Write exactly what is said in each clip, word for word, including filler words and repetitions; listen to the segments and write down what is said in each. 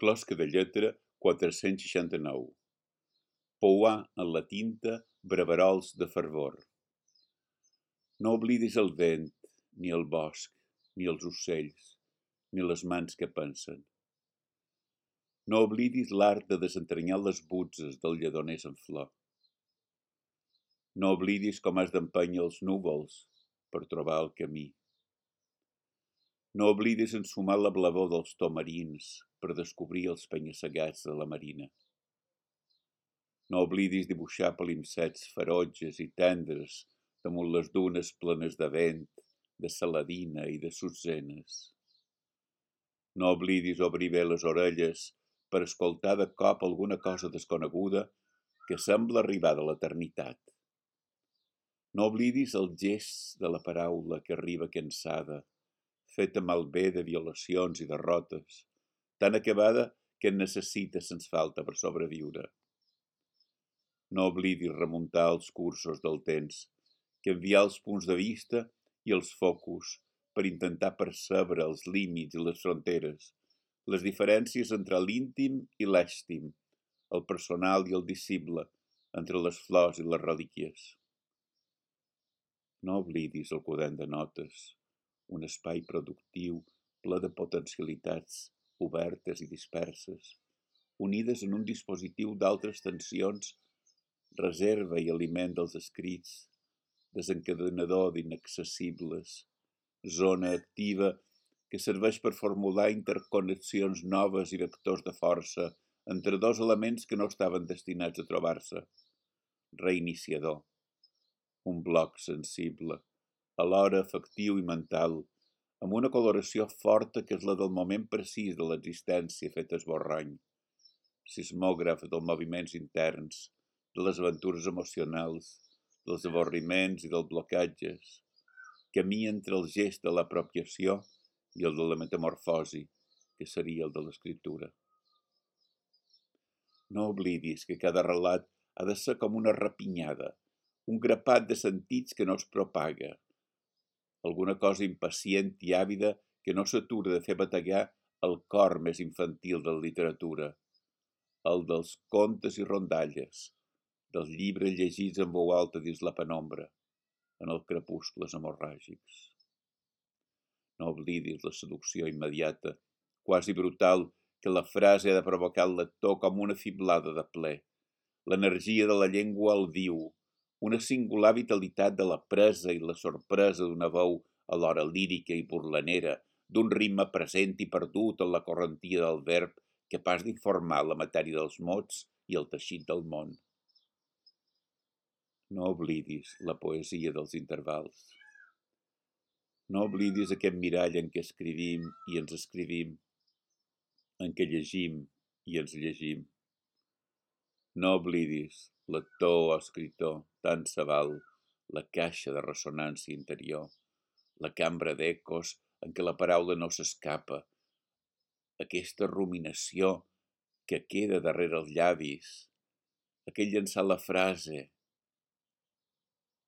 Closca de lletra quatre-cents seixanta-nou. Pouar en la tinta braverols de fervor. No oblidis el vent, ni el bosc, ni els ocells, ni les mans que pensen. No oblidis l'art de desentranyar les butzes del lledoners en flor. No oblidis com has d'empènyer els núvols per trobar el camí. No oblidis ensumar la blavor dels tomarins per descobrir els penya-segats de la marina. No oblidis dibuixar palimpsests ferotges i tendres damunt les dunes plenes de vent, de saladina i de sutzenes. No oblidis obrir bé les orelles per escoltar de cop alguna cosa desconeguda que sembla arribar de l'eternitat. No oblidis el gest de la paraula que arriba cansada, feta malbé de violacions i derrotes, tan acabada que en necessita sens falta per sobreviure. No oblidis remuntar els cursos del temps, canviar els punts de vista i els focus per intentar percebre els límits i les fronteres, les diferències entre l'íntim i l'èstim, el personal i el visible, entre les flors i les relíquies. No oblidis el quadern de notes, un espai productiu ple de potencialitats obertes i disperses, unides en un dispositiu d'altres tensions, reserva i aliment dels escrits, desencadenador d'inaccessibles, zona activa que serveix per formular interconnexions noves i vectors de força entre dos elements que no estaven destinats a trobar-se. Reiniciador, un bloc sensible, alhora afectiu i mental, amb una coloració forta que és la del moment precís de l'existència feta esborrany, sismògraf dels moviments interns, de les aventures emocionals, dels avorriments i dels blocatges, camí entre el gest de l'apropiació i el de la metamorfosi, que seria el de l'escriptura. No oblidis que cada relat ha de ser com una rapinyada, un grapat de sentits que no es propaga, alguna cosa impacient i àvida que no s'atura de fer bategar el cor més infantil de la literatura, el dels contes i rondalles, dels llibres llegits en veu alta dins la penombra, en els crepuscles hemorràgics. No oblidis la seducció immediata, quasi brutal, que la frase ha de provocar el lector com una fiblada de ple, l'energia de la llengua al viu, una singular vitalitat de la presa i la sorpresa d'una veu alhora lírica i burlanera, d'un ritme present i perdut en la correntia del verb, capaç d'informar la matèria dels mots i el teixit del món. No oblidis la poesia dels intervals. No oblidis aquest mirall en què escrivim i ens escrivim, en què llegim i ens llegim. No oblidis, lector o escriptor, tant se val, la caixa de ressonància interior, la cambra d'ecos en què la paraula no s'escapa, aquesta ruminació que queda darrere els llavis, aquell llançar la frase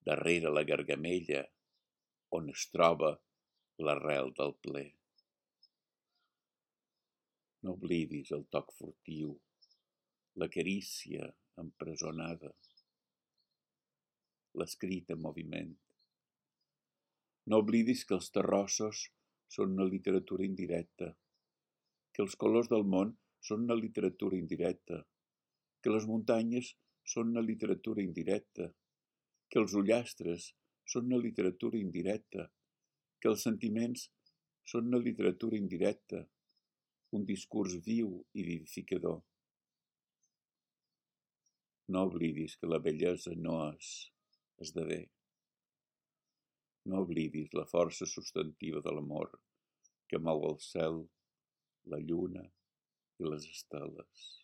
darrere la gargamella, on es troba l'arrel del ple. No oblidis el toc furtiu, la carícia empresonada, l'escrit en moviment. No oblidis que els terrossos són una literatura indirecta, que els colors del món són una literatura indirecta, que les muntanyes són una literatura indirecta, que els ullastres són una literatura indirecta, que els sentiments són una literatura indirecta, un discurs viu i vivificador. No oblidis que la bellesa no és, esdevé. No oblidis la força substantiva de l'amor que mou el cel, la lluna i les esteles.